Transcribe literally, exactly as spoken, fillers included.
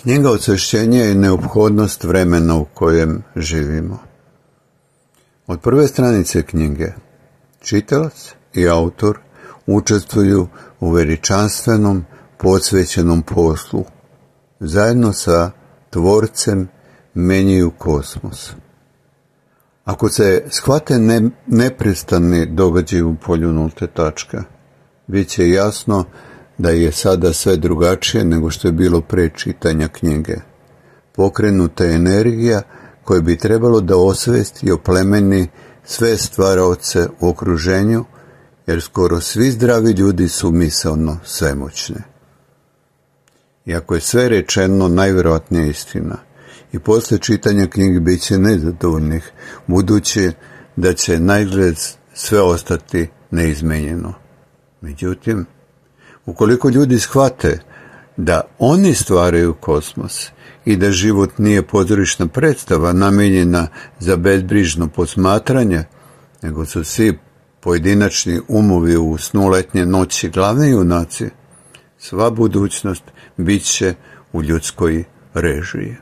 Knjiga Osvešćenja je neophodnost vremena u kojem živimo. Od prve stranice knjige čitalac i autor učestvuju u veličanstvenom, posvećenom poslu. Zajedno sa Tvorcem menjaju kosmos. Ako se shvate ne, neprestani događaj u polju nulte tačke, bit će jasno da je sada sve drugačije nego što je bilo pre čitanja knjige. Pokrenuta je energija koja bi trebalo da osvesti i oplemeni sve stvaraoce u okruženju, jer skoro svi zdravi ljudi su misaono svemoćni. Iako je sve rečeno najvjerojatnija istina, i posle čitanja knjige bit će nezadovoljnih, budući da će naizgled sve ostati neizmenjeno. Međutim, ukoliko ljudi shvate da oni stvaraju kosmos i da život nije pozorišna predstava namijenjena za bezbrižno posmatranje, nego su svi pojedinačni umovi u snu letnje noći glavni junaci, sva budućnost bit će u ljudskoj režiji.